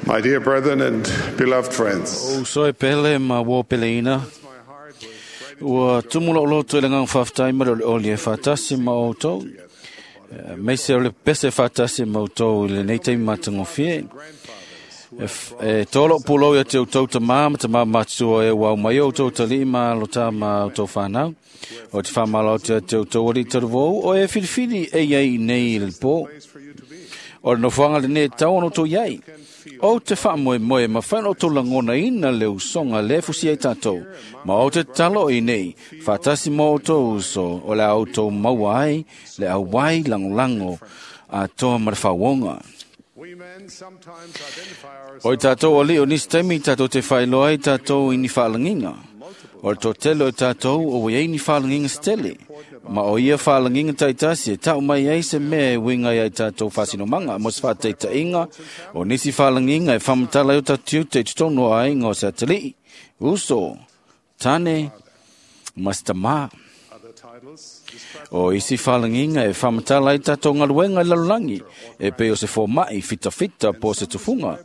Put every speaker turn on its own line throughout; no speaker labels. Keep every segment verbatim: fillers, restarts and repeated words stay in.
My dear brethren and beloved friends,
O soe pele ma wō pele ina. Ua tumu lo loto i le ngang whaftai ma le oli e whatasi ma o tau. Meise o le pese whatasi ma o tau i le nei taimi matangofie. E, e tōlo pulou ia te o tau tamā ma tamā matua e wau mai o tau tali ma lo tā ma o tau whanau. O te whamalo te te o tau ori taravou o e whiriwhiri e iei nei i le pō. O le nofoanga le nei tau ono tau iai. O te whaamoe moe ma whaino tō langona ina le usonga le fusi ai tātou. Ma o te talo i nei, whatasi mō o tō uso, o le au tō maua ai, le au wai langolango a toa ma le whawonga. O i tātou oli o nisi taimi tātou te whailoa ai tātou i ni whaalanginga. O le tō tele o tātou o wei ni whaalanginga stele. Ma o ia whaalanginga taitasi e tau mai ai se mea e winga ai tātou whasinomanga mo se whāteita inga o nisi whaalanginga e whamatala o tātou te tutono ai ngā o se atalii, uso, tane, mastama. O isi whalanginga e whamatala i tātou ngaluenga i lalulangi, e pe o se fōmai fita fita po se tufunga.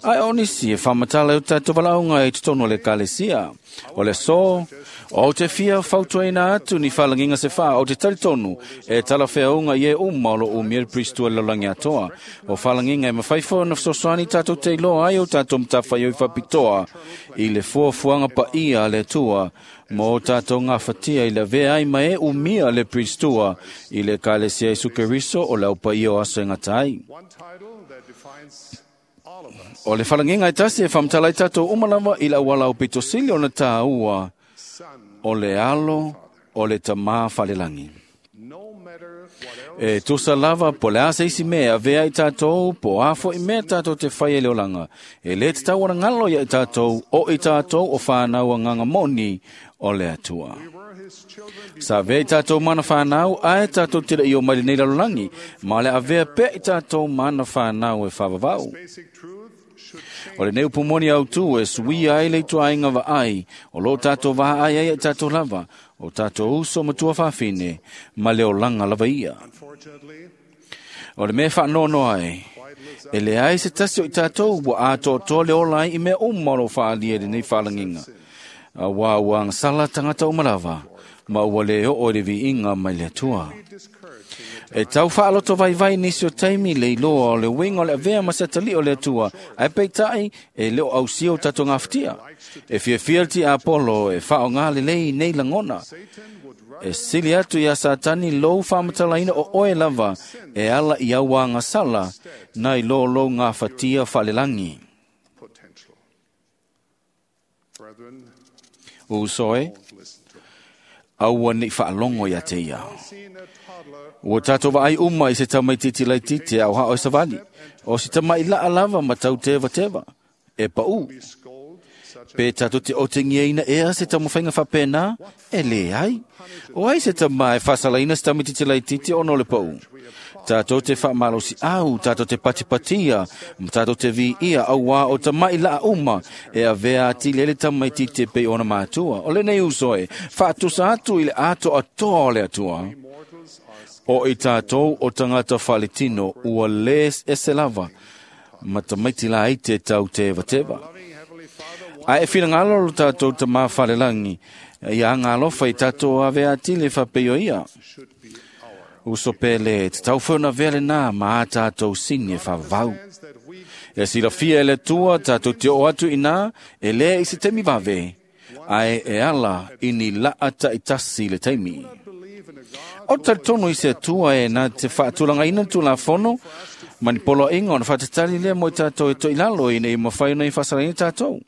Ai o nisi e whamatala i o tātou valaunga e tutono le kalesia. O le so, o te fia fautuaina atu ni whalanginga se wha, o te talitonu e tala wheaunga i e uma o lo umier pristu e lalulangi atoa. O whalanginga e mawhaifo na whsosoani tātou te iloa ai o tātou mtawhai o i whapitoa i le fuafuanga pa ia le tua mō tātou ngā whatia i le vea ai mai e umia le pristua i le kalesia Isu Keriso o le aupa ia o aso e ngatai. O le whalanginga e tasi e whamtala i tātou umalama i la wala o pito sili o na tāua o le alo o le tamā whalelangi. E tusa lava po le asa isi mea vea i tātou po afo i mea tātou te whai e leolanga. E le te tau ngalo ia i tātou o i tātou o whānau a nganga moni o le atua. Sa vea i tātou mana whānau ae tātou tira i o mai nei lalolangi. Ma le avea pe i tātou mana whānau e whawawau. O le neu pumoni au tū e sui ai le itua ainga wa ai, o lo tātou waha ai ai e tātou lava, o tātou uso matua whawhine, ma le olanga lava ia. O le mea whaanono ai, e le ai se tasi o i tātou, wa atoatoa le ola ai i mea uma o lo whaalia le nei whalanginga. A wā wā sala tangata umalava, ma ua le o o le viinga mai le atua. E tau whaaloto vai vai nisi o taimi le iloa o le winga o le avea ma se tali o le atua, ai peitai e leo au sio tato ngawhtia. E fia ti Apollo e whao ngā le lei nei langona. E sili atu ia satani lou whamatalaina o oe lava e ala i aua ngā sala nai lo lo ngā whatia whalelangi. Usoe, aua ni whaalongo ia te ia. Ua tātou wa ai uma i se tamai titi lai titi au hao e savali. O se tamai laa lava ma tau teva teva. E pa u. Pe tātou te otengia ina ea se tamawhainga whapena, e le ai. O ai se tamai whasalaina se tamai titi lai titi ono le pa u. Tātou te whamalosi au, tātou te patipatia, tātou te vi ia au wā o tamai laa uma, e a vea ati lele tamai titi pe ona mātua. O le nei usoe, whaatusa atu i le ato atoa o le atua. O i tātou o tangata whaletino ua les e se lava, ma tamaiti la ai te tau teva teva. A e whina ngalo lo tātou ta mā whalelangi, ia ngalo whai tātou ave atile whapeio ia. Uso pele, te tau whiona vele nā ma a tātou sini e whawau. E sila fia e le tua tātou te o atu ina, e le i se temi vave, ai e ala ini laata i tasi le teimi. O talitonu i se atua e nā te whaatulanga ina tū la fono, mani polo inga ona whatatali lea mo i tātou e toi lalo i nei mawhai nei whasalaina tātou.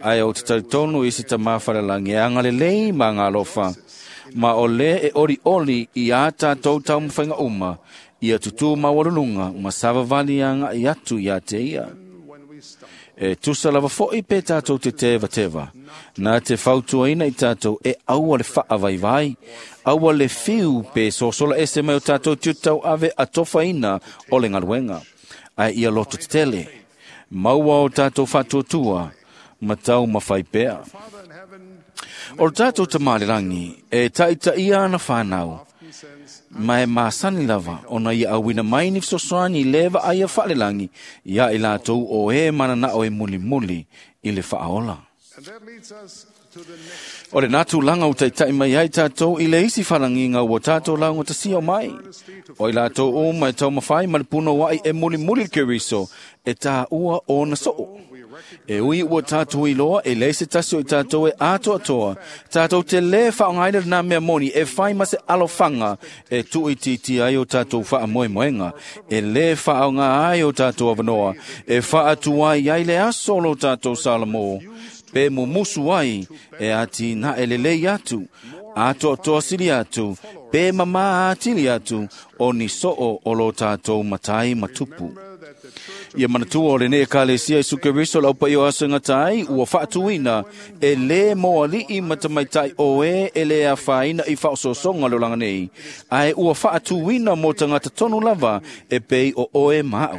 Ai o te talitonu i se tamā whalelangi e angale lei ma ngā lofa, ma o le e ori oli i a tātou tau mwhainga uma, i a tutu mawalulunga, ma savavali anga i atu i a te ia. E tusa lava foi pe tātou te teva teva. Nā te fautuaina i tātou e aua le whaavaivai, aua le fiu pe sosola ese mai o tātou tutau ave atofaina o le ngaluenga. Ai ia loto te tele, maua o tātou whatuatua, matau mawhai pea. O le tātou tamale rangi, e taita ia ana whanau, Ma e masani lava ona ia auina mai ni fesoasoani le vaaia faalelagi ia i latou o e mananao e mulimuli i le faaola. O le tulaga ua taitai mai ai tatou i le isi falagiga ua tatou laugatasia mai. O i latou uma e taumafai ma le punouai e mulimuli le Keriso e taua ona soo. E ui ua tatou iloa e leai se tasi o i tatou e atoatoa, tatou te lē faaaogaina lenā mea moni e fai ma se alofaga e tuuitiitia ai o tatou faamoemoega, e lē faaaoga ai o tatou avanoa, e faatuai ai le aso o lo tatou salamō, pe mumusu ai e atinae lelei atu, atoatoa sili atu, pe mamā atili atu, o ni soo o lo tatou matai matupu. Ia manatua o lenei Ekalesia Iesu Keriso lau paia o aso e gata ai, ua faatuina e lē moali'i ma tamaitai o e e lē afaina i faaosoosoga o le olaga nei, ae ua faatuina mo tagata tonu lava e pei o oe ma a'u.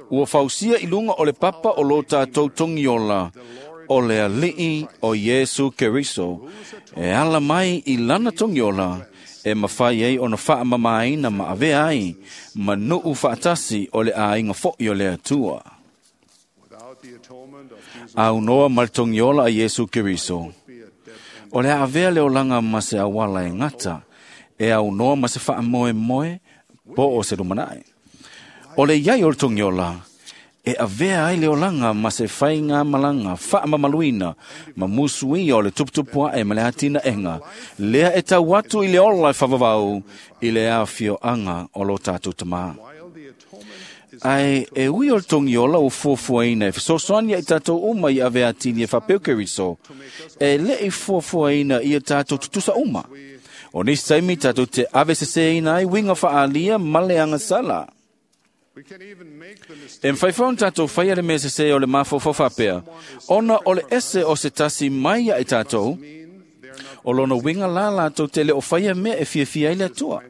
Ua fausia i luga o le papa o lo tatou togiola, o le Alii o Iesu Keriso, e ala mai i lana togiola, e mafai ai ona faamamaina ma avea ai ma nuu faatasi o le aiga fo'i o le Atua. Aunoa ma le togiola a Iesu Keriso, o le avea le olaga ma se auala e gata, e aunoa ma se faamoemoe po o se lumanai. O le iai o le togiola, e avea ai le olaga ma se faiga malaga faamamaluina ma musuia o le tuputupu ae ma le atinaega, lea e tau atu i le ola e faavavau i le afioaga o lo tatou tamā. Ae e ui o le togiola ua fuafuaina e fesoasoani ai tatou uma i ave atili e faapeo Keriso, e le'i fuafuaina ia tatou tutusa uma. O nisi taimi tatou te ave seseina ai uiga faaalia ma le agasala. E mafai foi ona tatou faia le mea sesē o le mafaufau faapea, ona o le ese o se tasi mai ia i tatou, o lona uiga la latou te le o faia mea e fiafia ai le Atua.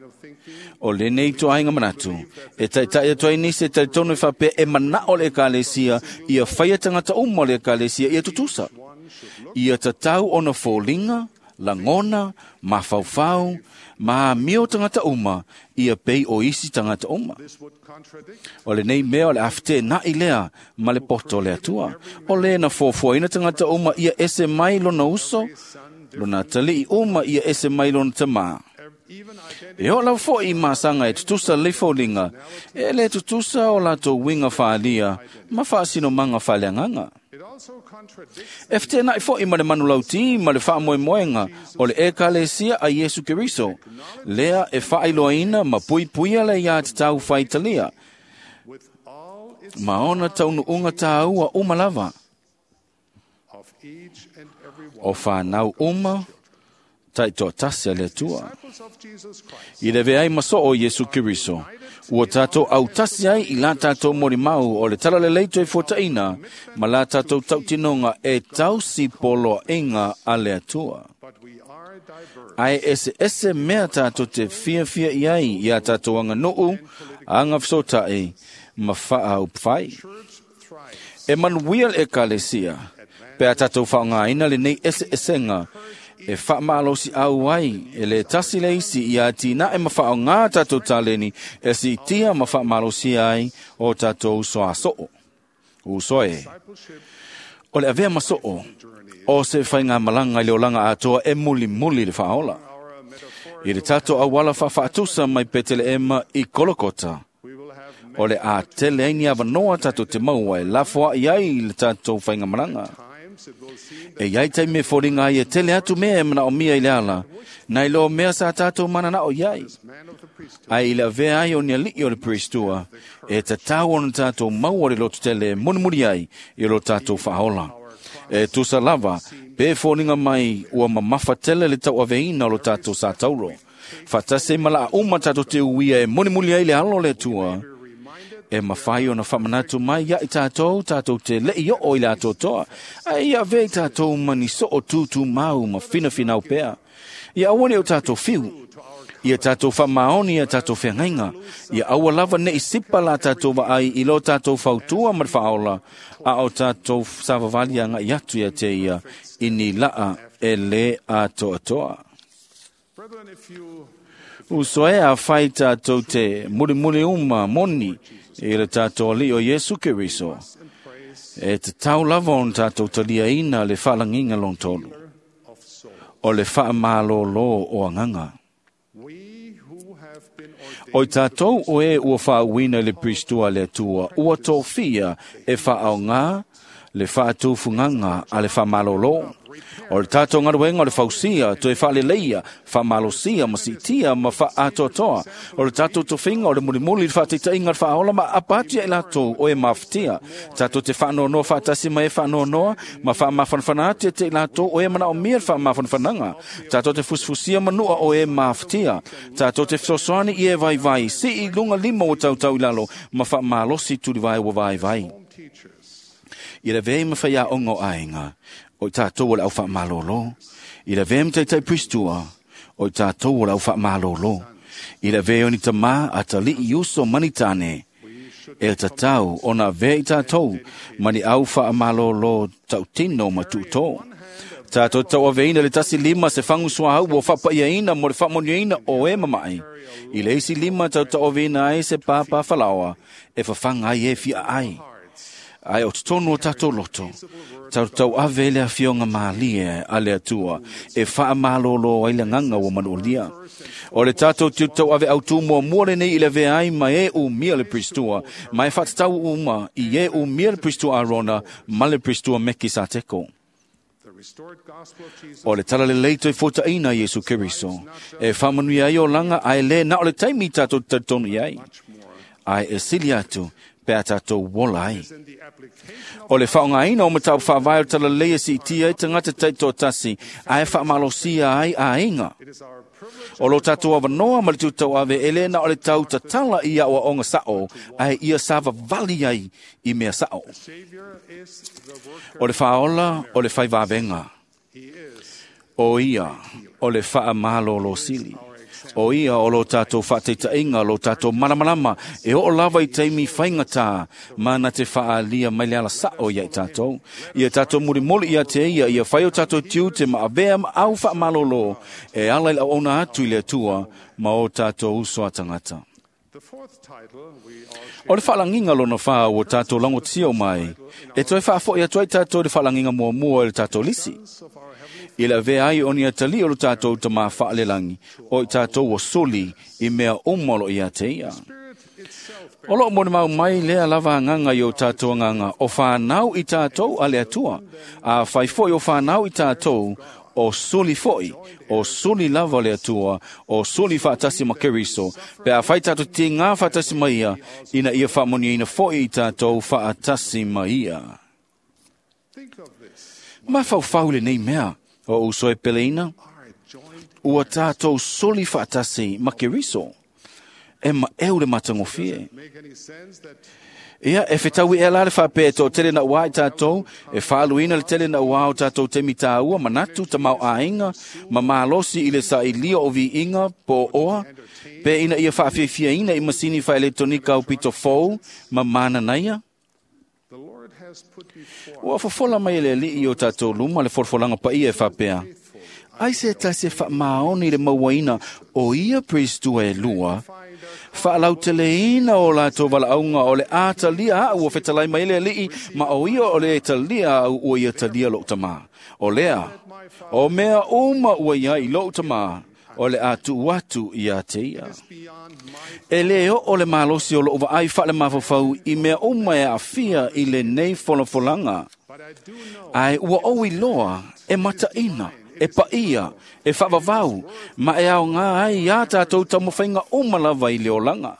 O lenei ituaiga manatu, e taitai atu ai nisi e talitonu e faapea e manao le Ekalesia ia faia tagata uma o le Ekalesia ia tutusa. Ia tatau ona foliga, lagona, mafaufau, ma amio tagata uma, ia pei o isi tagata uma. O lenei mea o le afetena'i lea ma le poto o le Atua. O le na fuafuaina tagata uma ia ese mai lona uso, lona atalii uma ia ese mai lona tamā. E oo lava fo'i i masaga e tutusa lelei foliga, e lē tutusa o latou uiga faaalia ma faasinomaga faaleagaga. E fetena'i fo'i ma le manulautī ma le faamoemoega o le Ekalesia a Iesu Keriso, lea e faailoaina ma puipuia le iā tatau faitalia, ma ona taunuuga tāua uma lava. O fanau uma, taitoatasi a le Atua. I le avea ai ma soo o Iesu Keriso, ua tatou autasi ai i la tatou molimau o le talalelei toe fuataina ma la tatou tautinoga e tausi poloaiga a le Atua. Ae eseese mea tatou te fiafia i ai ia tatou aganuu, agafesootai ma faaupufai. E manuia le Ekalesia, pe a tatou faaaogaina lenei eseesega e faamalosiau ai e le tasi le isi ia atinae ma faaaoga tatou taleni e siitia ma faamalosia ai o tatou uso a soo. Uso e, o le avea ma soo o se faigamalaga i le olaga atoa e mulimuli le faaola. I le tatou auala faafaatusa mai Peteleema i Kolokota, o le a tele ai ni avanoa tatou te maua e lafoai ai i le tatou faigamalaga. E iai taimi e foliga ai e tele atu mea e manaomia i le ala, nai lo mea sa tatou mananao iai. Ae i le avea ai o ni alii o le Peristua, e tatau ona tatou maua le loto tele e mulimuli ai i lo tatou faaola. E tusa lava, pe foliga mai ua mamafa tele le tauaveina o lo tatou satauro. Faatasi ai ma laa uma tatou te uia e mulimuli ai le alo o le Atua, e mafai ona faamanatu mai ia i tatou tatou te le'i oo i le atoatoa, ae ia avea i tatou ma ni soo tutumau ma finafinau pea. Ia aua ne o tatou fiu, ia tatou faamaoni ia tatou feagaiga, ia aua lava ne'i sipa la tatou vaai i lo tatou fautua ma le faaola, a o tatou savavali aga'i atu ia te ia i ni laa e lē atoatoa. Uso e a fai tātou te mulimuli uma moni i le tātou ali o Iesu Keriso. E te tau lava on tātou talia ina le whalanginga lon tolu. O le whaamalolo o anganga. O i tātou o e ua whaawina le pristua le atua, ua tōfia e whaaonga le whaatufunganga a le whaamalolo. O le tātou ngaruenga o le fausia, toe whaaleleia, whaamalosia, masitia, ma whaatoatoa. O le tātou tofinga o le mulimuli, le whaatitainga, le whaaola, ma apatia i lātou o e mawhitia. Tātou te whaanonoa whaatasi ma e whaanonoa, ma whaamawhanawhana atu te i lātou o e mana o mia le whaamawhanawhananga. Tātou te fusfusia manua o e mawhitia. Tātou te fesoasoani i e vai vai, si i lunga lima o tautau i lalo, ma whaamalosi turiwai wa vai vai. I le vei mawhai a ongo ainga, o i tātou o le au whaamalolo. I le vei mtaitai pristua, o i tātou o le au whaamalolo. I le vei oni tamā a tali i uso manitane, e tatau o nā vei tātou, mani au whaamalolo tautino ma tūtō. Tātou tau aveina le tasi lima se whangusua hau o whapaia mo le whamonioina o e mamai. I le isi lima tau tau aveina ai se pāpā whalaoa, e whawhanga ai e fia ai. Ai o tonu o tātou loto, tau tau ave le afionga mālie a le atua, e whaamalolo ai le nganga o manuolia. O le tātou tiu tau ave au tūmua mua le nei i le vea ai ma e u mia le pristua, ma e whatatau uma i e u mia le pristua Arona, ma le pristua Meki Sateko. O le tala le leito i fōtaina Iesu Keriso, e whamanui ai o langa ai le na o le taimi tātou tau tonu i ai. Ai e sili atu, pea tātou wola ai. O le whaongaina o matau whaavai o tala leia si tia i tangata taito tasi, ai whaamalosia ai a inga. O lo tātou awanoa ma le tūtau ave e le na o le tau tatala i a oa onga sao, ai ia sava vali ai i mea sao. O le whaola, o le whaivavenga. O ia, o le whaamalolo sili. O ia o lo tātou whaateitainga, lo tātou maramarama, e o lava i teimi whaingata, mana te whaalia mai le ala sao ia i tātou. Ia tātou murimoli ia te ia, ia whai o tātou tiu te maavea ma au whaamalolo, e ala i la ona atu i le atua, ma o tātou uso a tangata. O le whaalanginga lona whaa o tātou langotia o mai, e toe whaafoi atu ai tātou le whaalanginga mua mua i le tātou lisi. I la vea ai o ni atali o lo tātou ta mā whaalelangi, o i tātou o soli i mea umalo i a te ia. O lo mone mau mai lea lava nganga i o tātou nganga, o whanau i tātou a le atua, a whai foi o whanau i tātou o soli foi, o soli lava le atua, o soli whaatasi ma Keriso, pe a whai tātou te ngā whaatasi ma ia, ina ia whaamoni ina foi i tātou whaatasi ma ia. Ma whauwhau le nei mea, o uso e peleina, ua tātou soli whaatasi ma Keriso, e ma eu le matangofie. Ia, e whitaui e la le whapea tō tele na ua i tātou, e whaaluina le tele na ua o tātou te mitāua, manatu, ta mau āinga, ma mālosi i le sa i lia o vi inga, po oa, pe ina ia whaawhiawhia ina i masini whaeletonika au pito fou, ma mānanaia. Ua whafola mai le li i o tātou luma le forfolanga pa ia e whapea. Ai se tasi wha maoni le mauaina o ia pristua e lua, whaalauteleina o lātou walaunga o le ātalia au o whetalai mai le alii, ma o ia o le talia au o ia talia lou tamā. O lea, o mea uma ua ia i lou tamā, o le atu atu ia te ia. E le o o le malosi o lou vaai whaale mawhawhau i mea uma e awhia i le nei folafolanga. Ai ua oi loa e mataina, e paia, e whaavavau, ma e ao ngā ai a tātou taumawhainga uma lava i le olanga.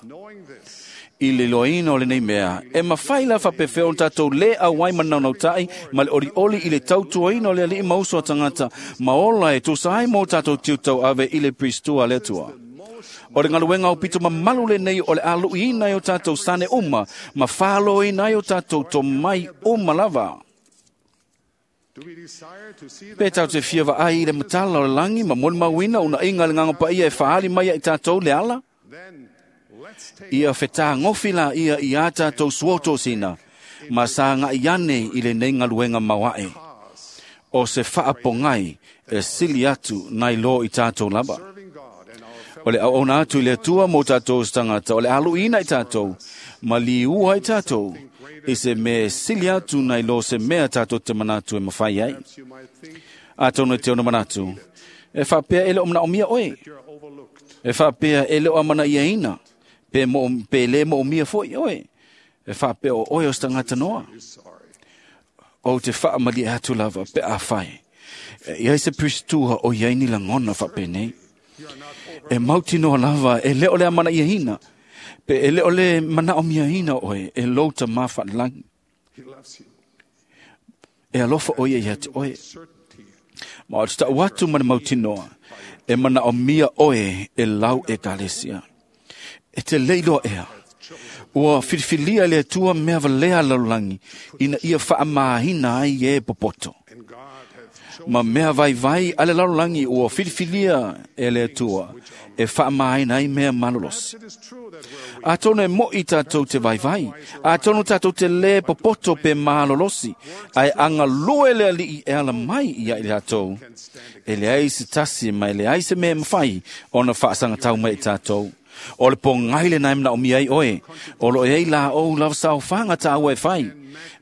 I le loina o le nei mea, e mawhai la whapewheo o tātou le au ai manaunautai, ma le ori oli i le tautuaina o le alii mauso a tangata, ma ola e tōsa ai mō tātou tiutau ave i le pristua le atua. O le ngaluenga o pito mamalu le nei o le alui ina i o tātou sane uma, ma whalo ina i o tātou tō mai uma lava. Pe tau te fia vaai i le matala o le langi, ma moni mauina una inga le nganga paia e whaali mai i tātou le ala. Ia whetā ngofi la ia i a tātou suoto sina, ma sa ngā iane i le nei ngaluenga mauae. O se whaapongai e sili atu nai lo i tātou lava. O O le auauna atu i le Atua mo tatou se tagata, o le aluina i tatou, ma liua ai tatou, i se mea e sili atu nai lo se mea tatou te manatu e mafai ai.
Perhaps you might think
Atonu e te ona manatu, e faapea e le o manaomia oe,
you're overlooked.
e faapea e le o amanaiaina, pe, mo, pe le moomia foi oe, e faapea o oe o se tagata noa.
You're sorry.
O te faamalie atu lava pe a fai. E iai se pristua o iai ni lagona faapenei.
You are not over.
E mautinoa lava e le o le amanaiaina, pe e le o le manaomiaina oe e lou tamā faalelagi.
He loves you.
E alofa o ia ia te oe.
Certainty.
Ma o te tau atu ma le mautinoa, e manaomia oe e lau ekalesia. E te leiloa ea. Ua filifilia le Atua mea valea lalolagi, ina ia faamaina ai e popoto.
And God hath chosen
Ma mea vaivai a le lalolagi ua filifilia e le Atua, e faamaina ai mea malolosi.
It is true that we're weak.
Atonu e moi tatou te vaivai, atonu tatou te le popoto pe malolosi, ae agalue le alii e ala mai ia i tatou.
Can stand
E leai se tasi ma e leai se mea e mafai ona faasagatau mai i tatou. O le pogai le nai manaomia ai oe, o lo o iai la ou lava saofaga tāua e fai,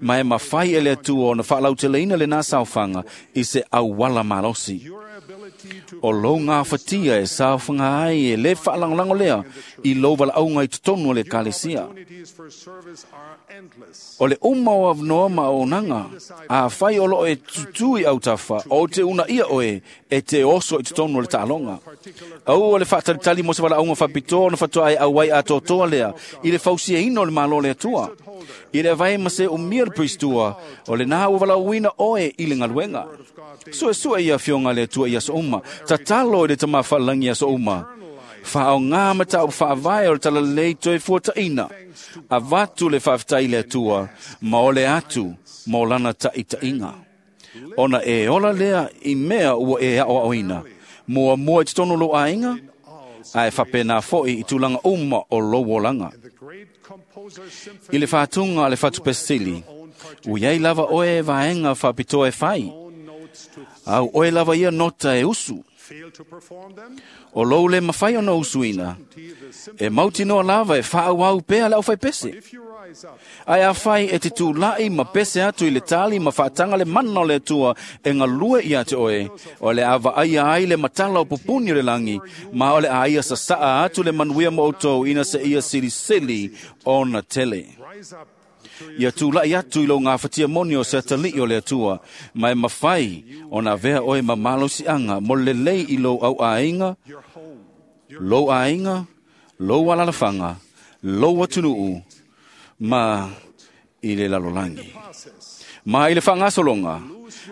ma e mafai e le Atua ona faalauteleina lenā saofaga i se auala malosi.
Your ability to
O lou gafatia e saofaga ai e lē faalagolago lea i lou valaauga i totonu o le ekalesia.
opportunities for service are endless.
O le uma o avanoa ma auaunaga, afai o loo e tutū i autafa, o te uunaia oe e te oso i totonu o le taaloga. Aua le faatalitali mo se valaauga faapitoa ona faatoa e auai atoatoa lea i le fausiaina o le Malo o le Atua. I le avae ma se umia le pristua, o lenā ua valaauina oe i le galuega. Suesue ia afioga a le Atua i aso uma, tatalo i le tamā faalelagi i aso uma. Faaogā ma taʻu faavae o le talalelei toe fuataʻina. Avatu le faafetai i le Atua, ma o le atu ma o lana taʻitaʻiga. Ona e ola lea i mea ua e aʻoaʻoina. Muamua i totonu o lou aiga, ae faapena foʻi i tulaga uma o lou olaga.
The great composer
I
symphony
le faatuga a le fatupesili, ua iai lava oe vaega faapitoa e fai,
own notes to
au oe lava ia nota e usu.
fail to perform them.
O lou le mafai ona usuina,
The symphony.
e mautinoa lava e faaauau pea le aufaipese.
If you rise up
Ae afai e te tulaʻi ma pese atu i le tali ma faataga le mana o le Atua e galue ia te oe, o le a vaaia ai le matala o pupuni o le lagi, ma o le a ia sasaa atu le manuia ma outou ina se ia silisili ona tele.
rise up to your
Ia tulaʻi atu i lou gafatia moni o se atalii o le Atua, ma e mafai ona avea oe ma malosiaga mo le lelei i lou auaiga,
your home, your
lou aiga, lou alalafaga, lou atunuu, ma i le lalolagi.
process.
Ma i le faagasologa,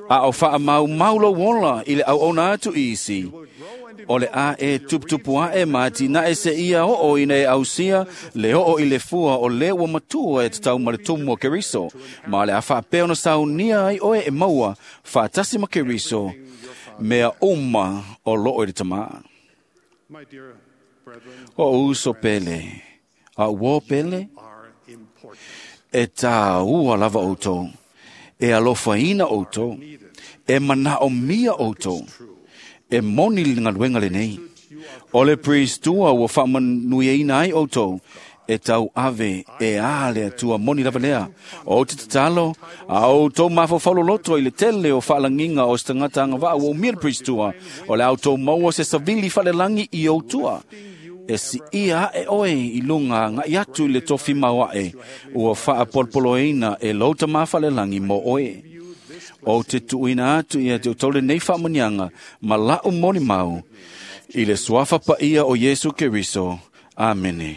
a o faamaumau lou ola i le auauna atu i isi,
Will grow and
o le a e tuputupu aʻe ma atinae se ia oo ina e ausia le oo i le fua o lē ua matua e tatau ma le tumu o Keriso, ma o le a faapea ona saunia ai oe e maua faatasi ma Keriso, mea uma o loo i le tamā.
My dear brethren,
O uso pele, a uō pele,
are important.
e tāua lava outou, e alofaina outou, e manaomia outou, e moni le galuega lenei. O le pristua ua faamanuiaina ai outou, e tau ave e a le Atua moni lava lea. O te tatalo, a outou mafaufau i le tele o faalagiga o se tagata agavaa ua umia le pristua, o le a outou maua se savili faalelagi i outua. E siia aʻe oe i luga agaʻi atu i le tofi mau aʻe, ua faapolopoloina e lou tamā faalelagi mo oe. O te tuuina atu ia te outou lenei faamanuiaga ma laʻu molimau i le suafa paia o Iesu Keriso. Amene.